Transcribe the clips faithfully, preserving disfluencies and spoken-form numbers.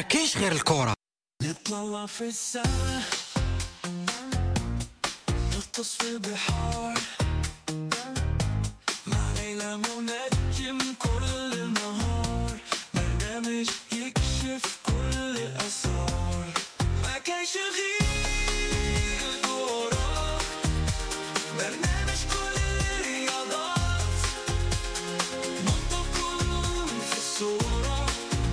ما كاينش غير الكرة. نطلع في السما، نغطس في البحار، مع ليلى منجم كل النهار، برنامج يكشف كل الأسرار. ما كاينش غير الكرة، برنامج كل الرياضات، نحطكم في الصورة،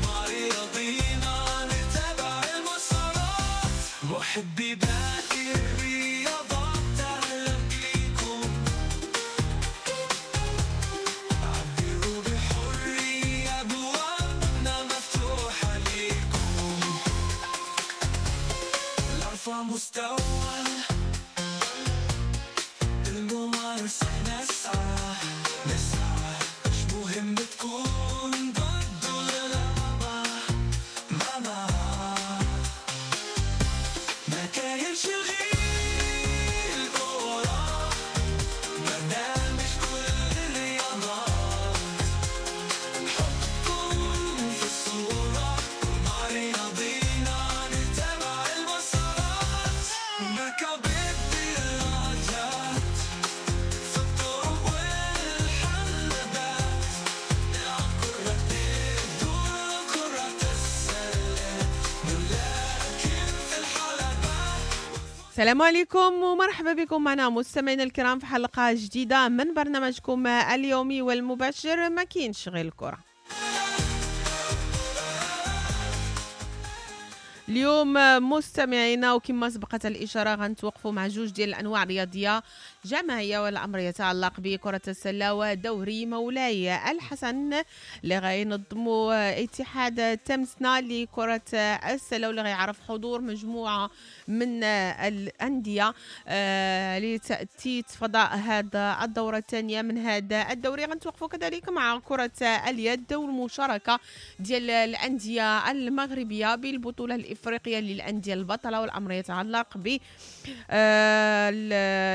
مع رياضينا نتابع المسارات. محبي باقي الرياضات أهلا بيكم، عبروا بحرية، أبوابنا مفتوحة ليكم. لأرفع مستوى الممارسة نسعى نسعى، مش مهم تكون ضد ولا لا، ما ما ما كاينش غير الكرة، برنامج كل الرياضات، حطكم في الصورة، مع رياضينا نتابع المسارات. مكابد الدراجات في الطرق والحلبات، نلعب كرة الدور كرة السلة، نلاكم في الحلبات. السلام عليكم ومرحبا بكم معنا مستمعينا الكرام في حلقة جديدة من برنامجكم اليومي والمباشر ما كاينش غير الكرة. اليوم مستمعينا وكما سبقت الإشارة غنتوقفوا مع جوج ديال الأنواع الرياضية جماعية، والأمر يتعلق بكرة السلة ودوري مولاي الحسن اللي غينظموا اتحاد تمسنا لكرة السلة، واللي غيعرف حضور مجموعة من الأندية آه، لتأتيت فضاء هذا الدورة الثانية من هذا الدوري. غنتوقفوا كذلك مع كرة اليد والمشاركة ديال الأندية المغربية بالبطولة الإفريقية للأندية البطلة، والأمر يتعلق ب آه،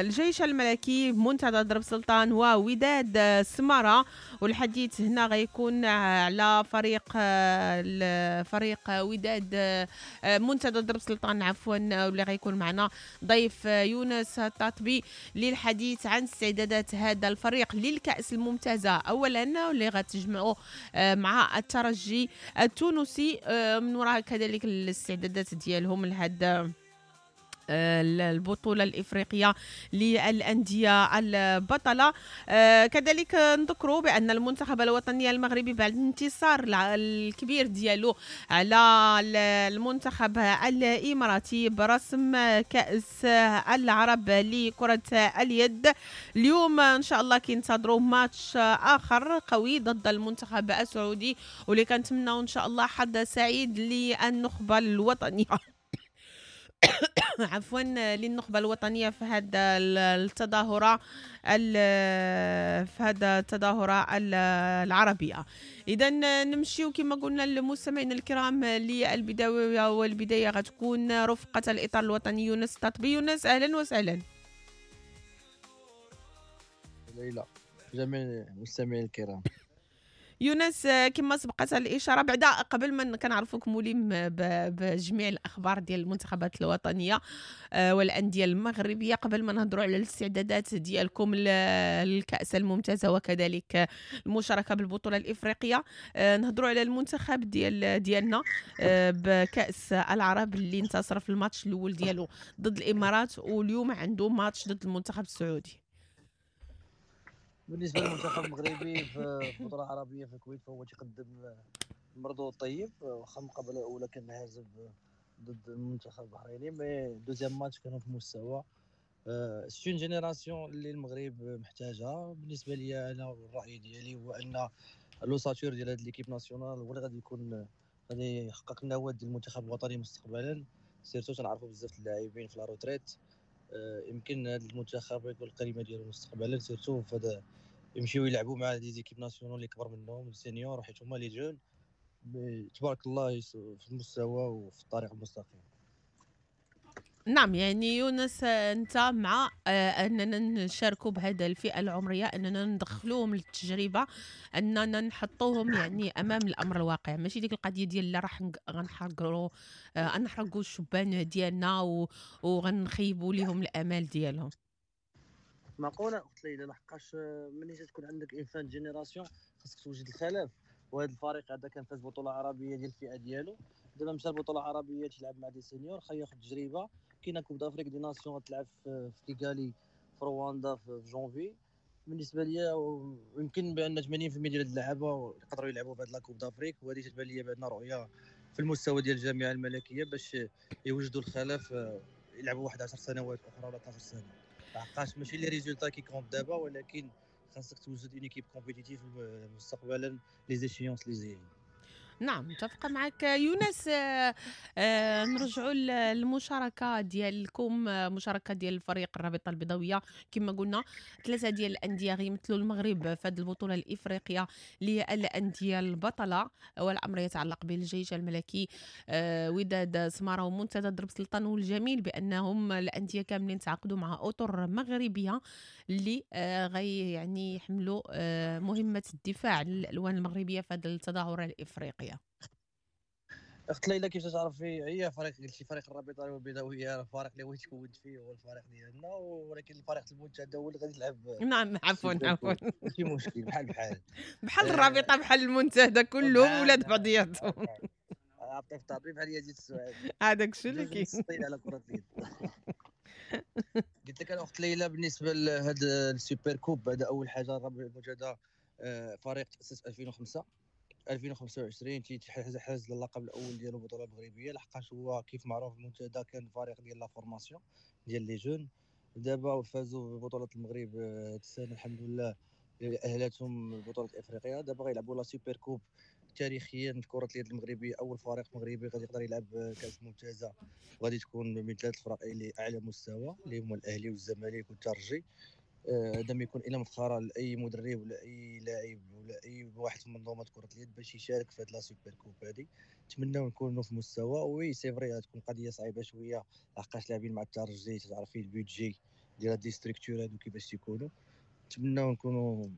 الجيش الملكي منتدى درب سلطان ووداد سمارة. والحديث هنا غيكون على فريق آه، فريق وداد آه، منتدى درب سلطان عفوا، واللي غيكون معنا ضيف يونس التطبي للحديث عن استعدادات هذا الفريق للكأس الممتازة أولا، واللي غتجمعوا مع الترجي التونسي، من وراء كذلك الاستعدادات ديالهم لهذا البطولة الإفريقية للأندية البطلة. كذلك نذكروا بأن المنتخب الوطني المغربي بعد الانتصار الكبير ديالو على المنتخب الإماراتي برسم كأس العرب لكرة اليد، اليوم إن شاء الله كينتظروا ماتش آخر قوي ضد المنتخب السعودي، واللي كنتمناو إن شاء الله حظ سعيد للنخبة الوطنية عفوا للنخبة الوطنية في هذا التظاهرة في هذا التظاهرة العربية. إذا نمشيو كما قلنا للمستمعين الكرام للبداية، والبداية غتكون رفقة الإطار الوطني يونس التطبي. يونس أهلا وسهلا. ليلى جميع المستمعين الكرام. يونس كما سبقت الإشارة بعدا قبل ما كنعرفوك ملم بجميع الأخبار ديال المنتخبات الوطنية والأندية المغربية، قبل ما نهضروا على الاستعدادات ديالكم للكأس الممتازة وكذلك المشاركة بالبطولة الإفريقية، نهضروا على المنتخب ديال ديالنا بكأس العرب اللي انتصر في الماتش الأول ديالو ضد الإمارات، واليوم عنده ماتش ضد المنتخب السعودي. بالنسبة للمنتخب المغربي في البطولة العربية في الكويت فهو تيقدم مردود طيب، واخا المقابلة الاولى كان هازم ضد المنتخب البحريني، mais deuxième match كانوا في مستوى. c'est une génération اللي المغرب محتاجها. بالنسبة لي انا والراي ديالي هو ان l'ossature ديال هاد l'équipe nationale هو اللي غادي يكون غادي يحقق النواة ديال المنتخب الوطني مستقبلا، surtout تنعرفوا بزاف اللاعبين في la retraite. يمكن هذا المنتخب يكون القيمة ديالو مستقبلا، surtout في يمشيو يلعبوا مع des équipes nationales اللي كبر منهم ال seniors، حيت هما les jeunes تبارك الله في المستوى وفي الطريق المستقيم. نعم، يعني يونس انت مع اننا نشاركوا بهذا الفئة العمرية، اننا ندخلوهم للتجربه، اننا نحطوهم يعني امام الامر الواقع، ماشي ديك القضية ديال لا راح غنحرقوا غنحرقوا الشبان ديالنا وغنخيبوا لهم الامال ديالهم. معقولة اخت ليلى، لحقاش ملي تكون عندك une fin de génération خاصك توجد الخلاف، وهذا الفريق هذا كان فاز بطوله عربية ديال الفئة ديالو، دابا مشى البطولة العربية تيلعب مع des seniors، خا ياخذ تجربه. كاينه Coupe d'Afrique des Nations غتلعب في كيغالي في رواندا في جونفي. بالنسبة ليا يمكن بان ثمانين بالمية ديال اللعابه يقدروا يلعبوا في هذه la Coupe d'Afrique، وهذه تتبان ليا بان رؤية في المستوى ديال الجامعة الملكية باش يوجدوا الخلف يلعبوا واحد عشر سنوات اخرى ولا اثنا عشر سنة. لحقاش ماشي les résultats qui comptent دابا، ولكن خاصك توجد une équipe compétitive مستقبلا les échéances اللي جايين. نعم، متفقة معك يونس. آه آه نرجعوا للمشاركة ديالكم، مشاركة ديال الفريق الرابطة البيضاوية. كما قلنا ثلاثة ديال الأندية غيمثلوا المغرب في هذه البطولة الإفريقية للأندية البطلة، والأمر يتعلق بالجيش الملكي، آه وداد سمارة ومنتدى درب سلطان. والجميل بأنهم الأندية كاملين تعاقدوا مع أطر مغربية اللي آه غي يعني يحملوا آه مهمة الدفاع عن الألوان المغربية في هذه التظاهرة الإفريقية. اخت ليلى، كيف تعرفي هي فريق قلتي فريق الرابطة البيضاوية، الفريق اللي هو تكونت فيه هو الفريق ديالنا، ولكن الفريق المنتدى هو اللي غادي يلعب. نعم، عفوا عفوا ماشي مشكل، بحال بحال بحال الرابطة بحال المنتدى، كلهم ولاد بعضياتهم. عطيف طبيب بحال يزيد السعادي، هذاك الشيء اللي كاين على كره اليد. قلت لك انا اخت ليلى بالنسبة لهذا ال super coupe، هذا اول حاجة الرابطة المنتدى فريق تاسس ألفين وخمسة ألفين وخمسة وعشرين تيحاز اللقب الاول ديالو البطولة المغربية، لحقاش هو كيف معروف المنتدى كان فريق ديال la formation ديال les jeunes. دابا فازوا ببطولة المغرب هاد السنة الحمد لله، اهلتهم بطوله افريقيا. دابا غيلعبوا la super coupe تاريخيا في كره اليد المغربية، اول فريق مغربي غادي يقدر يلعب كاس ممتازة، وغادي تكون من ثلاث فرق اللي اعلى مستوى اللي هما الاهلي والزمالك والترجي. هذا ما يكون الا مفخرة لاي مدرب ولا اي لاعب ولا اي واحد في منظومة كره اليد باش يشارك في هاد la super coupe هادي. نتمناو نكونوا في مستوى. oui c'est vrai تكون قضية صعيبة شوية لحقاش لاعبين مع الترجي، تعرفي ال budget ديال هاد les structures هادو كيفاش تيكونوا. نتمناو نكونوا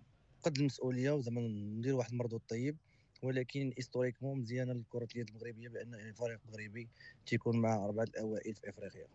قد المسؤولية وزعما نديروا واحد المردود طيب، ولكن historiquement مزيانه لكرة اليد المغربية بان فريق مغربي تيكون مع اربعة الاوائل في افريقيا.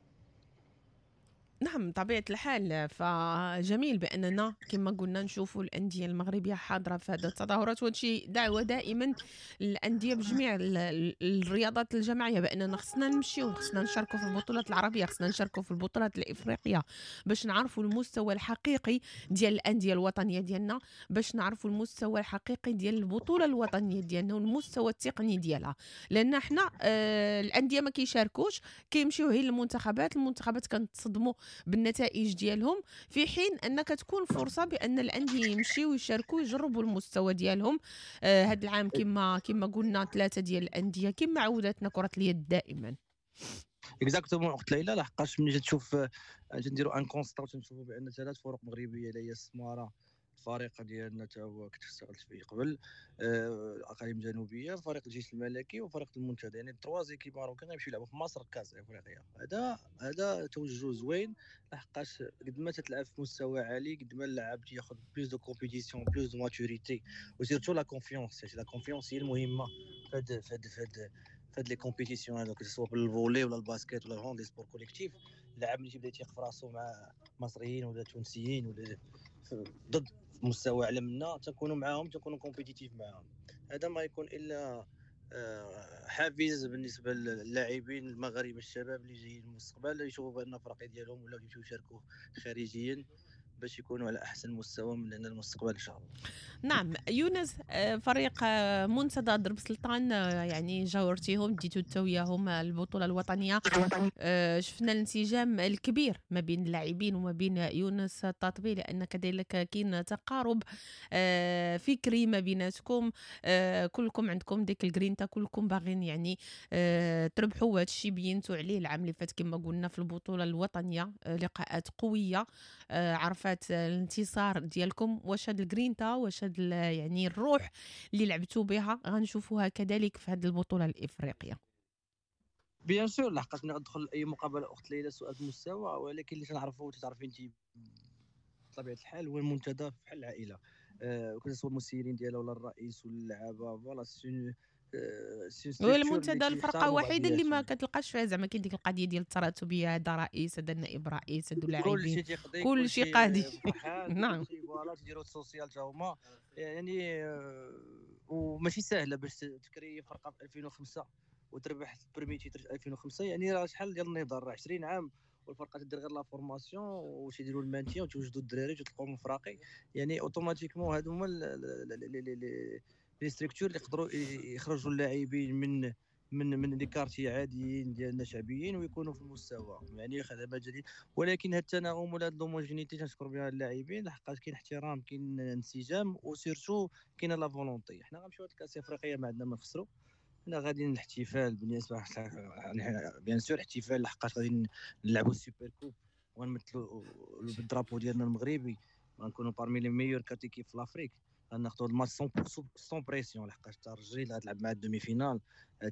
نعم، طبيعة الحال. فجميل بأننا كما قلنا نشوفوا الأندية المغربية حاضرة في هذه التظاهرات، وهادشي دعوة دائما للأندية بجميع الرياضات الجماعية بأننا خصنا نمشيو، خصنا نشاركوا في البطولات العربية، خصنا نشاركوا في البطولات الإفريقية باش نعرفوا المستوى الحقيقي ديال الأندية الوطنية ديالنا، باش نعرفوا المستوى الحقيقي ديال البطولة الوطنية ديالنا والمستوى التقني ديالها. لأن احنا آه الأندية ما كيشاركوش، كيمشيو غير للمنتخبات، المنتخبات كنتصدموا بالنتائج ديالهم، في حين انك تكون فرصة بان الاندية يمشيو يشاركوا ويجربوا المستوى ديالهم. آه هذا العام كما كما قلنا ثلاثة ديال الاندية كما عودتنا كره اليد دائما. exactement اخت ليلى، لحقاش ملي تشوف نديروا un constat وتنشوفوا بان ثلاث فرق مغربية اللي هي السماره، الفريق ديالنا تا هو كنت اشتغلت فيه قبل، الاقاليم الجنوبية، فريق الجيش الملكي وفريق المنتدى، يعني trois équipes marocaines غيمشيو يلعبوا في مصر كاس افريقيا. هذا هذا توجه زوين، لحقاش قد ما تتلعب في مستوى عالي قد ما اللاعب تياخذ plus de compétition، plus de maturité، و surtout la confiance. la confiance هي المهمة في هاد في هاد في هاد في هاد les compétitions هادو، سواء بال volley ولا ال basket ولا ال hand، les sports collectifs. اللاعب ملي تيبدا يتيق في راسو مع مصريين ولا تونسيين ولا ضد مستوى اعلى منا، تنكونوا معاهم، تنكونوا compétitifs معاهم. هذا ما يكون الا حافز بالنسبة للاعبين المغاربة الشباب اللي جايين المستقبل، يشوفوا بان الفرق ديالهم ولاو يمشيو يشاركوا خارجيا باش يكونوا على احسن مستوى من هنا المستقبل ان شاء الله. نعم يونس، فريق منتدى درب سلطان يعني جاورتيهم، ديتو انت وياهم البطولة الوطنية، شفنا الانسجام الكبير ما بين اللاعبين وما بين يونس التطبي، لان كذلك كاين تقارب فكري ما بيناتكم، كلكم عندكم ديك الجرينتا، كلكم باغين يعني تربحوا. هذا الشيء بينتوا عليه العام اللي فات كما قلنا في البطولة الوطنية، لقاءات قوية عرفات الانتصار ديالكم. واش هاد الجرينتا، واش هاد يعني الروح اللي لعبتوا بها غنشوفوها كذلك في هاد البطولة الافريقية؟ bien sûr، لحقاش ملي غتدخل اي مقابله اخت ليلى سؤال في المستوى، ولكن اللي تنعرفوا وتعرفي انت بطبيعة الحال هو المنتدى بحال العائلة، أه سواء المسيرين ديالها ولا الرئيس ولا اللعابه، voilà c'est هو المنتدى الفرقة الوحيدة اللي ما كتلقاش فيها زعما كاين ديك القضية ديال التراتبيه، هذا رئيس، هذا نائب رئيس، هادو لاعبين، كل شيء قاضي. نعم voilà تيديروا ال social تا هما يعني، وماشي سهلة باش تكري فرقه في ألفين وخمسة وتربح premier titre في ألفين وخمسة، يعني راه شحال ديال النضال، راه عشرين عام والفرقة تدير غير la formation وتيديروا ال maintien وتوجدوا الدراري وتطلقوا من فراقي، يعني automatiquement هادو هما les structures اللي يقدروا يخرجوا اللاعبين من من من les quartiers عاديين ديالنا شعبيين ويكونوا في المستوى، يعني خدمة جديد. ولكن هاد التناغم ولا هاد l'homogénéité تنشكر بها اللاعبين، لحقاش كاين احترام، كاين انسجام، و surtout كاينه la volonté. حنا غنمشيو هاد الكاس افريقيا ما عندنا ما نخسروا، حنا غاديين الاحتفال بالنسبة bien sûr احتفال، لحقاش غادي نلعبوا ال super coupe ونمثلوا بال drapeau ديالنا المغربي، غنكونوا parmi les meilleures quatre équipes في l'Afrique. غناخذوا الماتش sans pression، لحقاش الترجي اللي غتلعب مع ال demi-finale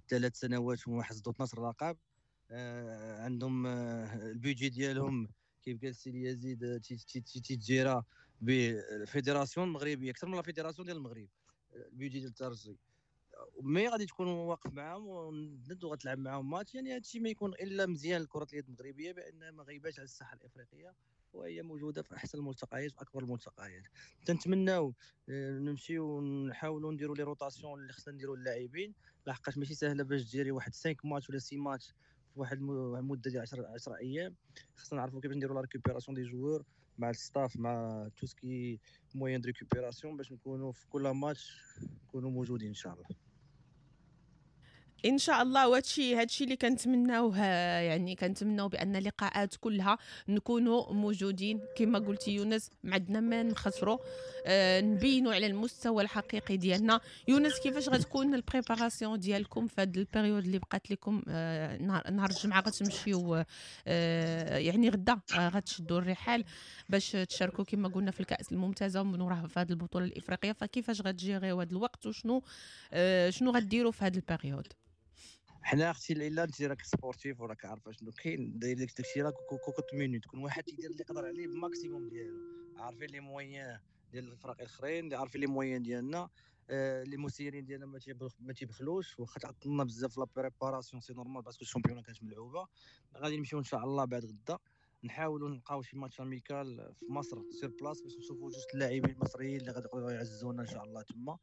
ثلاث سنوات وما حصدوا اثنا عشر لقب، آه عندهم آه ال budget ديالهم كيف قال السي يزيد تيتجيرا بال fédération المغربية اكثر من la fédération ديال المغرب، ال budget ديال الترجي، mais غادي تكون واقف معاهم وند وغتلعب معاهم ماتش، يعني هادشي ما يكون الا مزيان لكرة اليد المغربية بان ما غيباش على الساحة الافريقية، وهي موجودة في احسن الملتقيات في اكبر الملتقيات. تنتمناو نمشيو ونحاولوا نديروا les rotations اللي خصنا نديروا للاعبين، لحقاش ماشي سهلة باش ديري واحد خمسة ماتش ولا ستة ماتش في واحد المدة ديال عشرة ايام. خصنا نعرفوا كيفاش نديروا la récupération des joueurs مع ال staff، مع tout ce qui est moyens de récupération، باش نكونوا في كل ماتش نكونوا موجودين ان شاء الله. ان شاء الله. وهادشي هادشي اللي كنتمناوه، يعني كنتمناو بان اللقاءات كلها نكونوا موجودين كما قلتي يونس، ما عندنا ما نخسروا، آه نبينوا على المستوى الحقيقي ديالنا. يونس، كيفاش غتكون ال préparation ديالكم في هاد ال période اللي بقات لكم؟ آه نهار نهار الجمعة غتمشيو، آه يعني غدا آه غتشدوا الرحال باش تشاركوا كما قلنا في الكاس الممتازة ومن وراها في هاد البطولة الافريقية، فكيفاش غتجيريو هاد الوقت وشنو آه شنو غديروا في هاد ال période؟ حنا اختي ليلى انت راك sportif وراك عارفه شنو كاين، داير لك داكشي راه cocotte-minute، كل واحد تيدير اللي يقدر عليه بال maximum ديالو، عارفين les moyens ديال الفرق الاخرين، عارفين les moyens ديالنا، آه les مسيرين ديالنا ما ما تيبخلوش، واخا تعطلنا بزاف la préparation c'est normal parce que ال championnat كانت ملعوبه. غادي نمشيو ان شاء الله بعد غدا نحاولوا نلقاو شي match amical في مصر sur place باش نشوفوا جوج اللاعبين المصريين اللي غادي يقدروا يعزونا ان شاء الله تما،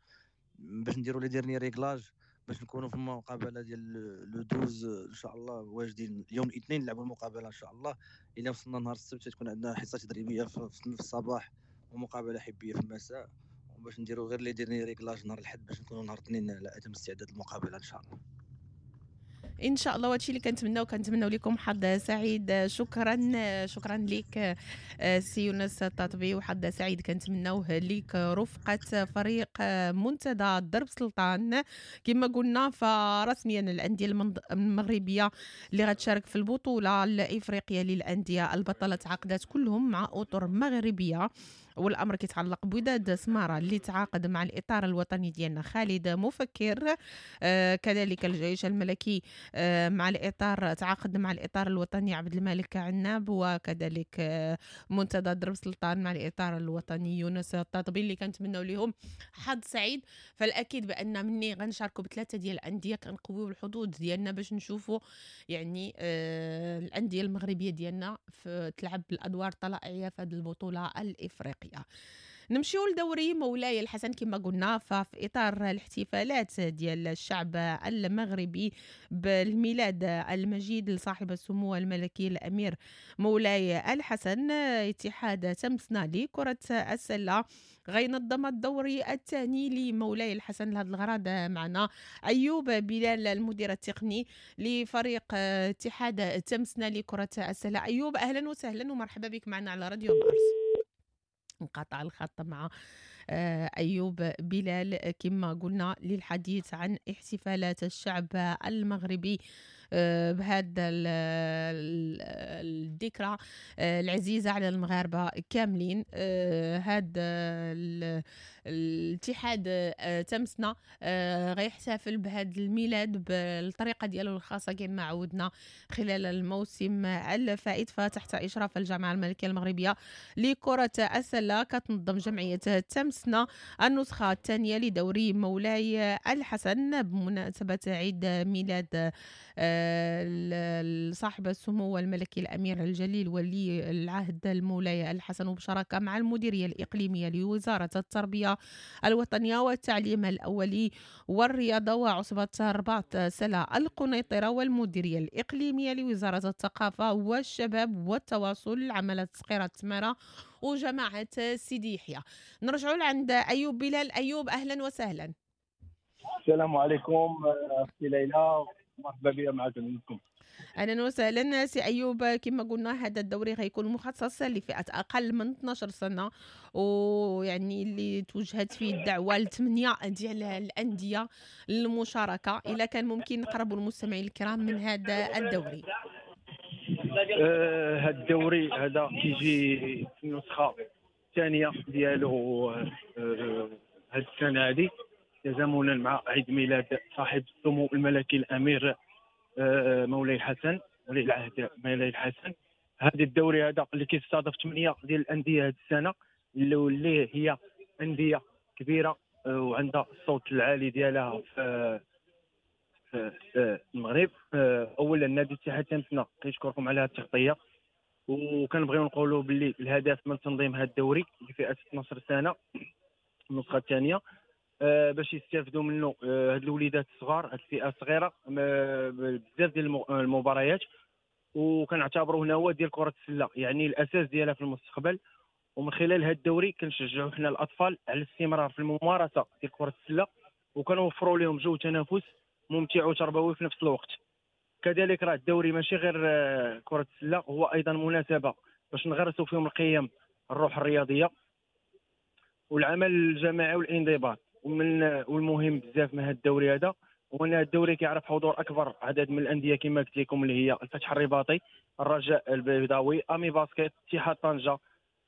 باش نديروا les derniers réglages باش نكونوا في المقابلة ديال le douze ان شاء الله واجدين. يوم الاثنين نلعبوا المقابلة ان شاء الله، الا وصلنا نهار السبت تكون عندنا حصة تدريبية في الصباح ومقابله حبيه في المساء، وباش نديروا غير les derniers réglages نهار الاحد باش نكونوا نهار الاثنين على اتم استعداد المقابلة ان شاء الله. ان شاء الله. وهادشي اللي كنتمناو، كنتمناو لكم حظ سعيد. شكرا شكرا لك سي يونس التطبي، وحظ سعيد كنتمناوه لك رفقه فريق منتدى درب سلطان. كما قلنا فرسميا الاندية المغربية اللي غتشارك في البطولة الافريقية للاندية البطلة تعاقدات كلهم مع اطر مغربية، والامر كيتعلق بوداد سماره اللي تعاقد مع الاطار الوطني ديالنا خالد مفكر، آه كذلك الجيش الملكي آه مع الاطار تعاقد مع الاطار الوطني عبد الملك عناب، وكذلك آه منتدى درب سلطان مع الاطار الوطني يونس التطبي اللي كنتمناو لهم حظ سعيد. فالاكيد بان مني غنشاركوا بثلاثة ديال الاندية كنقويو الحظوظ ديالنا باش نشوفوا يعني آه الاندية المغربية ديالنا في تلعب الادوار الطلائعيه في هذه البطولة الافريقية. نمشيو لدوري مولاي الحسن كما قلنا، ففي اطار الاحتفالات ديال الشعب المغربي بالميلاد المجيد لصاحب السمو الملكي الامير مولاي الحسن، اتحاد تمسنا لكرة السلة غينظم الدوري الثاني لمولاي الحسن. لهذا الغرض معنا ايوب بلال المدير التقني لفريق اتحاد تمسنا لكرة السلة. ايوب اهلا وسهلا ومرحبا بك معنا على راديو مارس. انقطع الخط مع أيوب بلال كما قلنا للحديث عن احتفالات الشعب المغربي بهذا الذكرى العزيزة على المغاربة كاملين. هذا الاتحاد تمسنا غيحتفل بهذا الميلاد بالطريقة ديالو الخاصة كما عودنا خلال الموسم الفائت. فتحت إشراف الجامعة الملكية المغربية لكرة السلة كتنظم جمعية تمسنا النسخة الثانية لدوري مولاي الحسن بمناسبة عيد ميلاد صاحب السمو الملكي الأمير الجليل ولي العهد المولاي الحسن، وبشراكة مع المديرية الإقليمية لوزارة التربية الوطنية والتعليم الأولي والرياضة وعصبة الرباط سلا القنيطرة والمديرية الإقليمية لوزارة الثقافة والشباب والتواصل عملت صقيرة تمارة وجماعة سيدي يحيى. نرجعوا لعند أيوب بلال. أيوب أهلا وسهلا. السلام عليكم أختي ليلى، مرحبا بك معكم. اهلا وسهلا سي ايوب. كما قلنا هذا الدوري غيكون مخصص لفئة اقل من اثنا عشر سنة، ويعني اللي توجهت فيه الدعوة لثمانية ديال الاندية للمشاركة. الا كان ممكن نقربوا المستمعين الكرام من هذا الدوري. آه هذا الدوري هذا كيجي في النسخة الثانية ديالو آه هذه السنة هذه، تزامنا مع عيد ميلاد صاحب السمو الملكي الامير مولاي الحسن ولي العهد مولاي الحسن. هذا الدوري هذا اللي كيستضيف ثمانية ديال الاندية هذه السنة، اللي هي اندية كبيرة وعندها الصوت العالي ديالها في في المغرب. اولا نادي اتحاد تمسنا كنشكركم على هذه التغطية، وكنبغيو نقولوا باللي الهدف من تنظيم هذا الدوري لفئة اثنا عشر سنة النسخة الثانية باش يستافدوا منه هاد الوليدات الصغار، هاد الفئة الصغيرة بزاف ديال المباريات، وكنعتبروه نواه ديال كره السلة، يعني الاساس ديالها في المستقبل. ومن خلال هاد الدوري كنشجعوا حنا الاطفال على الاستمرار في الممارسة ديال كره السلة، وكنوفروا لهم جو تنافس ممتع وتربوي في نفس الوقت. كذلك راه الدوري ماشي غير كره السلة، هو ايضا مناسبة باش نغرسوا فيهم القيم، الروح الرياضية والعمل الجماعي والانضباط. ومن والمهم بزاف من هذا الدوري هذا هو ان الدوري كيعرف حضور اكبر عدد من الاندية كما قلت لكم، اللي هي الفتح الرباطي، الرجاء البيضاوي، امي باسكيت، اتحاد طنجه،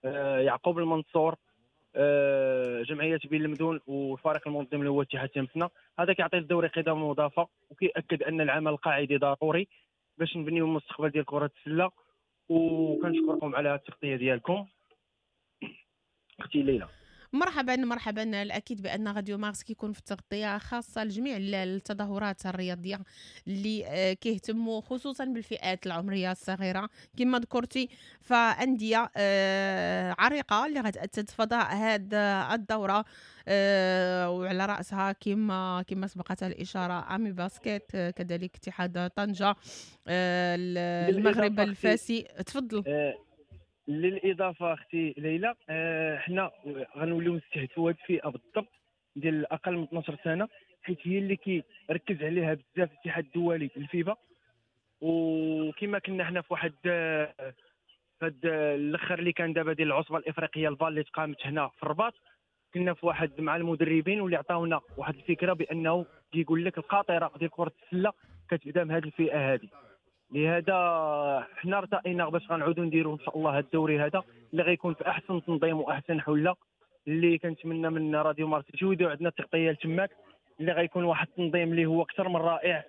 آه، يعقوب المنصور، آه، جمعية بين المدن، والفريق المنظم اللي هو اتحاد تمسنا. هذا كيعطي الدوري قيمة مضافة، وكيأكد ان العمل القاعدي ضروري باش نبنيو المستقبل ديال كره السلة. وكنشكركم على التغطية ديالكم اختي ليلى. مرحبا مرحبا. الاكيد بان راديو مارس كيكون في التغطية خاصة لجميع التظاهرات الرياضية اللي كيهتموا خصوصا بالفئات العمرية الصغيرة كما ذكرتي، فانديه عريقة اللي غتأتت فضاء هذا الدورة، وعلى راسها كما كما سبقت الاشارة امي باسكيت، كذلك اتحاد طنجه، المغرب الفاسي. تفضل. للاضافه اختي ليلى، حنا غنوليو نستهدفوا هذه الفئة بالضبط ديال اقل من اثنا عشر سنة، حيت هي اللي كيركز عليها بزاف الاتحاد الدولي الفيفا. وكما كنا حنا في واحد هاد الاخر اللي كان دابا ديال العصبة الافريقية الفال اللي تقامت هنا في الرباط، كنا في واحد مع المدربين واللي عطاونا واحد الفكرة بانه كيقول لك القاطره ديال كره السلة كتبدا من هذه الفئة هذه. لهذا حنا ارتئينا باش غنعودوا نديروا ان شاء الله هذا الدوري هذا اللي غيكون في احسن تنظيم واحسن حله، اللي كنتمنى من راديو مارس يجودوا عندنا التغطية لتماك، اللي غيكون واحد التنظيم اللي هو اكثر من رائع.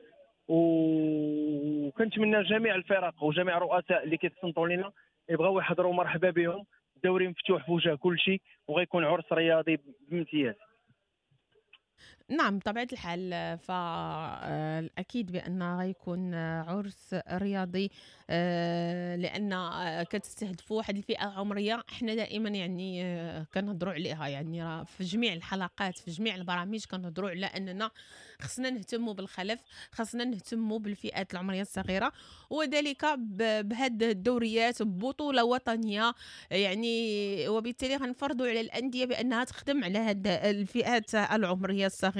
وكنتمنى جميع الفرق وجميع الرؤساء اللي كيتصنتوا لنا يبغاو يحضروا، مرحبا بهم. الدوري مفتوح في وجه كل شيء، وغيكون عرس رياضي بامتياز. نعم بطبيعة الحال، فالأكيد بأن غيكون عرس رياضي، لأن كتستهدفوا واحد الفئة عمرية احنا دائما يعني كنهضروا عليها، يعني في جميع الحلقات في جميع البرامج كنهضروا على أننا خصنا نهتموا بالخلف، خصنا نهتموا بالفئات العمرية الصغيرة، وذلك بهاد الدوريات ببطولة وطنية يعني، وبالتالي غنفرضوا على الأندية بأنها تخدم على هاد الفئات العمرية الصغيرة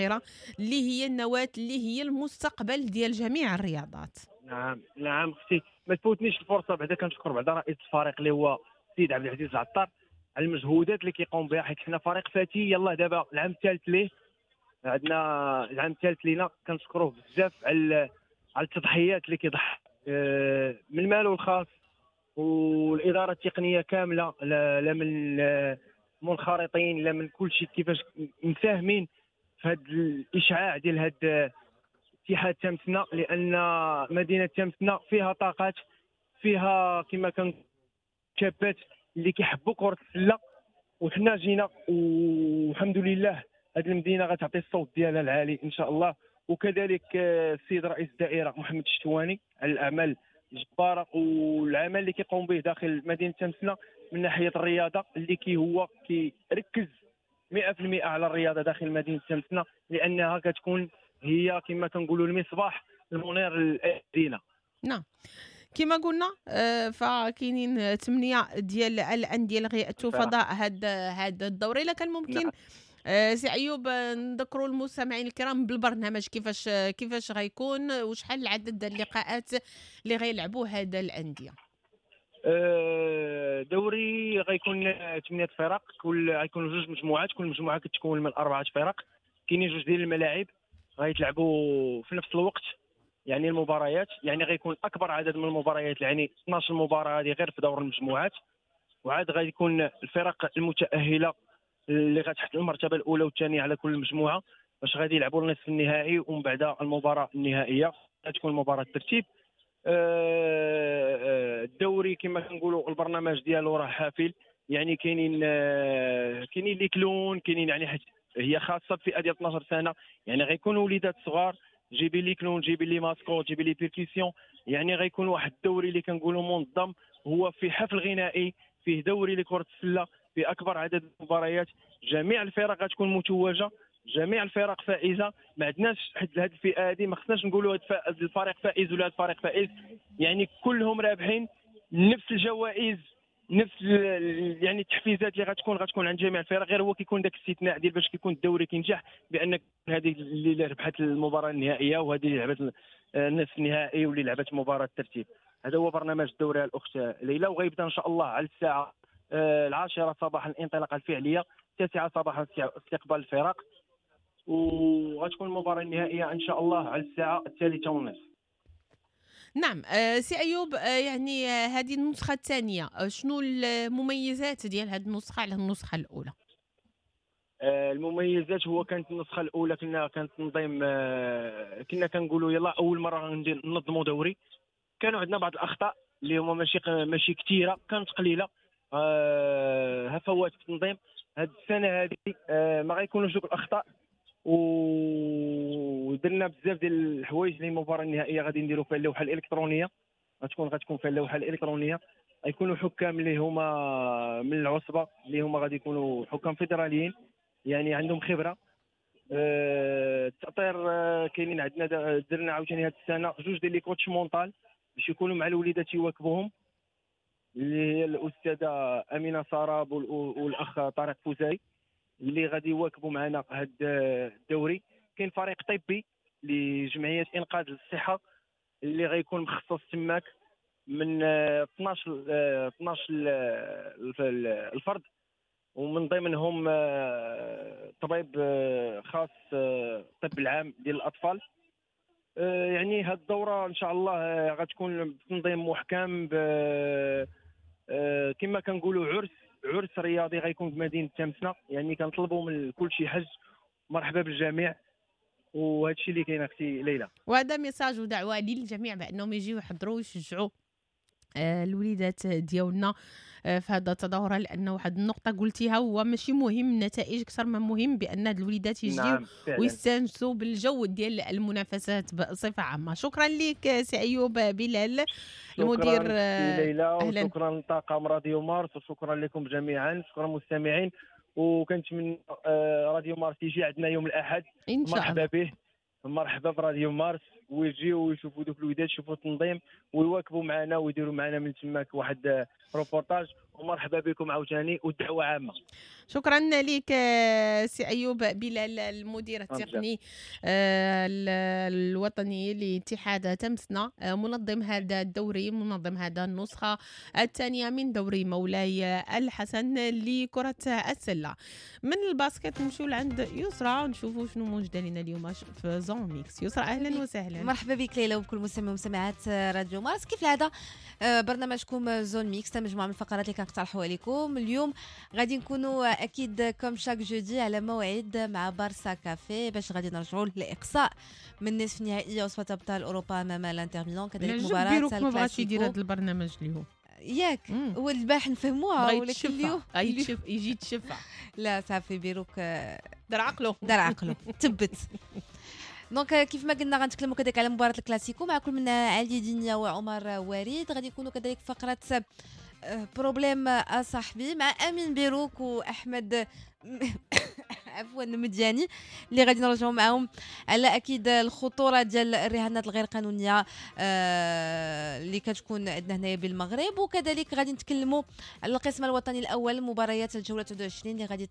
اللي هي النواة، اللي هي المستقبل ديال جميع الرياضات. نعم نعم اختي، ما تفوتنيش الفرصة بعدا كنشكر بعدا رئيس الفريق اللي هو السيد عبد العزيز العطار على المجهودات اللي كيقوم بها، حيت حنا فريق فاتي يلاه دابا العام الثالث ليه، عندنا العام الثالث لينا، كنشكروه بزاف على على التضحيات اللي كيضحي آه، من ماله الخاص والادارة التقنية كاملة، لا لا من المنخرطين لا من كل شيء، كيفاش مساهمين في هذا الاشعاع ديال هذا اتحاد تامسنا، لان مدينة تامسنا فيها طاقات، فيها كما كان شابات اللي كيحبوا كره السلة، وحنا جينا والحمد لله هذه المدينة غتعطي الصوت ديالها العالي ان شاء الله. وكذلك السيد رئيس الدائرة محمد الشتواني على الاعمال الجبارة والعمل اللي كيقوم به داخل مدينة تامسنا من ناحية الرياضة، اللي كي هو كيركز مئة في المئة على الرياضة داخل مدينة تامسنا، لانها كتكون هي كما كنقولوا المصباح المنير للمدينة. نعم كما قلنا فكاينين ثمانية ديال الاندية اللي غيأتوا فضاء هذا هذا الدوري. الا كان ممكن نعم. سي ايوب نذكروا المستمعين الكرام بالبرنامج كيفاش كيفاش غيكون وشحال العدد اللقاءات اللي غيلعبوا هذا الاندية. دوري غيكون ثمانية فرق، كل غيكونوا جوج مجموعات، كل مجموعة كتكون من اربعة فرق. كاينين جوج ديال الملاعب غيتلعبوا في نفس الوقت، يعني المباريات، يعني غيكون اكبر عدد من المباريات، يعني اثناش مباراة هذه غير في دور المجموعات. وعاد غيكون الفرق المتاهله اللي غتحتل المرتبة الاولى والثانية على كل مجموعة باش غادي يلعبوا النصف النهائي ومن بعد المباراة النهائية غتكون مباراة الترتيب. الدوري كما كنقولوا البرنامج ديالو راه حافل، يعني كاينين كاينين les clowns، كاينين يعني هي خاصة بفئة ديال اثناش سنة، يعني غيكونوا وليدات صغار، جيبي les clowns، جيبي les mascottes، جيبي les percussions، يعني غيكون واحد الدوري اللي كنقولوا منظم، هو في حفل غنائي، فيه دوري لكرة السلة في اكبر عدد المباريات، جميع الفرق غتكون متوجه، جميع الفرق فائزه، ما عندناش حد هذه الفئة هذه ما خصناش نقولوا هذا الفريق فائز ولا هذا الفريق فائز، يعني كلهم رابحين، نفس الجوائز، نفس يعني التحفيزات اللي غتكون غتكون عند جميع الفرق، غير هو كيكون داك الاستثناء ديال باش كيكون الدوري كينجح بان هذه اللي ربحت المباراة النهائية وهذه اللي لعبت النصف النهائي واللي لعبت مباراة الترتيب. هذا هو برنامج الدوري الاخت ليلى، وغيبدا ان شاء الله على الساعة العاشرة صباحا الانطلاقة الفعلية، التاسعة صباحا استقبال الفرق، وغتكون المباراة النهائية ان شاء الله على الساعة الثالثة والنصف. نعم سي ايوب، يعني هذه النسخة الثانية، شنو المميزات ديال هذه النسخة على النسخة الاولى؟ المميزات هو كانت النسخة الاولى كنا كان تنظيم، كنا كنقولوا يلا اول مرة ننظموا دوري، كانوا عندنا بعض الاخطاء اللي هما ماشي ماشي كثيرة، كانت قليله، هفوات في التنظيم. هذه السنة هذه ما غيكونوش دوك الاخطاء، ودرنا بزاف ديال الحوايج. اللي المباراة النهائية غادي نديروا فيها اللوحة الالكترونية، غتكون غتكون فيها اللوحة الالكترونية، غيكونوا حكام اللي هما من العصبة، اللي هما غادي يكونوا حكام فيدراليين، يعني عندهم خبره. التأطير كاينين عندنا، درنا عاوتاني هذه السنة جوج ديال les coachs mental باش يكونوا مع الوليدات يواكبوهم، اللي هي الاستاذة امينه سراب والاخ طارق فوزاي اللي غادي يواكبوا معنا هذا الدوري. كاين فريق طبي لجمعية انقاذ الصحة اللي غيكون مخصص تماك من اثناش اثناش الفرد، ومن ضمنهم طبيب خاص الطب العام ديال الاطفال. يعني هذه الدورة ان شاء الله غتكون بتنظيم محكم، كما كنقولوا عرس عرس رياضي غيكون في مدينة تامسنا، يعني كنطلبوا من كل شي حج، مرحبا بالجميع. وهذا الشيء اللي كاين اختي ليلى، وهذا message ودعوة للجميع بانهم يجيو يحضروا ويشجعوا الوليدات ديالنا في هذا التظاهرة، لان واحد النقطة قلتيها هو ماشي مهم النتائج اكثر ما مهم بان هاد الوليدات يجيو نعم ويستانسوا بالجو ديال المنافسات بصفة عامة. شكرا لك سي ايوب بلال المدير. شكرا ليلى، وشكرا طاقم راديو مارس، وشكرا لكم جميعا، شكرا مستمعين، وكنتمنى راديو مارس يجي عندنا يوم الاحد إن شاء مرحبا به، مرحبا براديو مارس، ويجيو ويشوفوا دوك الوليدات، يشوفوا التنظيم ويواكبوا معنا ويديروا معنا من تماك واحد روبورتاج. ومرحبا بكم عاوتاني والدعوة عامة. شكرا لك سي ايوب بلال المدير التقني الوطني لاتحاد تمسنا، منظم هذا الدوري، منظم هذا النسخة الثانية من دوري مولاي الحسن لكرة السلة. من ال basket نمشيو لعند يسرى نشوفوا شنو موجده لنا اليوم في zone mixte. يسرى اهلا وسهلا. مرحبا بك ليلى وبكل مستمع ومستمعات راديو مارس. كيف العادة برنامجكم zone mixte مجموعة من الفقرات اللي كنقترحوها لكم. اليوم غادي نكونوا اكيد comme chaque jeudi على موعد مع بارسا كافي باش غادي نرجعوا للاقصاء من نصف نهائي عصبه ابطال اوروبا امام الانتر ميلان، كذلك مباراة الكلاسيكو. ما بغاش يدير هذا البرنامج اليوم ياك هو البارح نفهموها، ولكن اليوم يجي تشفع. لا صافي بيروك دار عقله دار عقله تبت. donc كيف ما قلنا غنتكلموا كذلك على مباراة الكلاسيكو مع كل من علي دينيا وعمر وريد. غادي يكونوا كذلك فقره problème اصاحبي مع امين بيروك واحمد عفوا مدياني اللي غادي نرجعوا معاهم على اكيد الخطورة ديال الرهانات الغير قانونية اللي كتكون عندنا هنايا بالمغرب، وكذلك غادي نتكلموا على القسم الوطني الاول مباريات الجولة تسعة وعشرين اللي غادي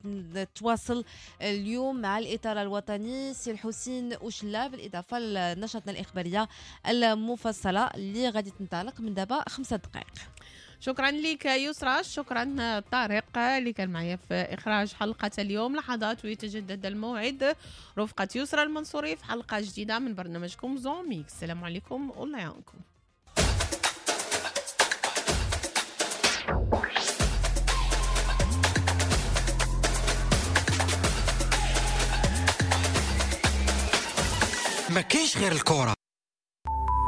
تواصل اليوم مع الاطار الوطني سي الحسين وشلا، بالاضافة لنشرتنا الاخبارية المفصلة اللي غادي تنطلق من دابا خمسة دقائق. شكرا لك يسرى، شكرا طارق اللي كان معايا في إخراج حلقة اليوم. لحظات ويتجدد الموعد رفقة يسرى المنصوري في حلقة جديدة من برنامجكم zone mixte. السلام عليكم والله يعاونكم. ما كاينش غير الكرة.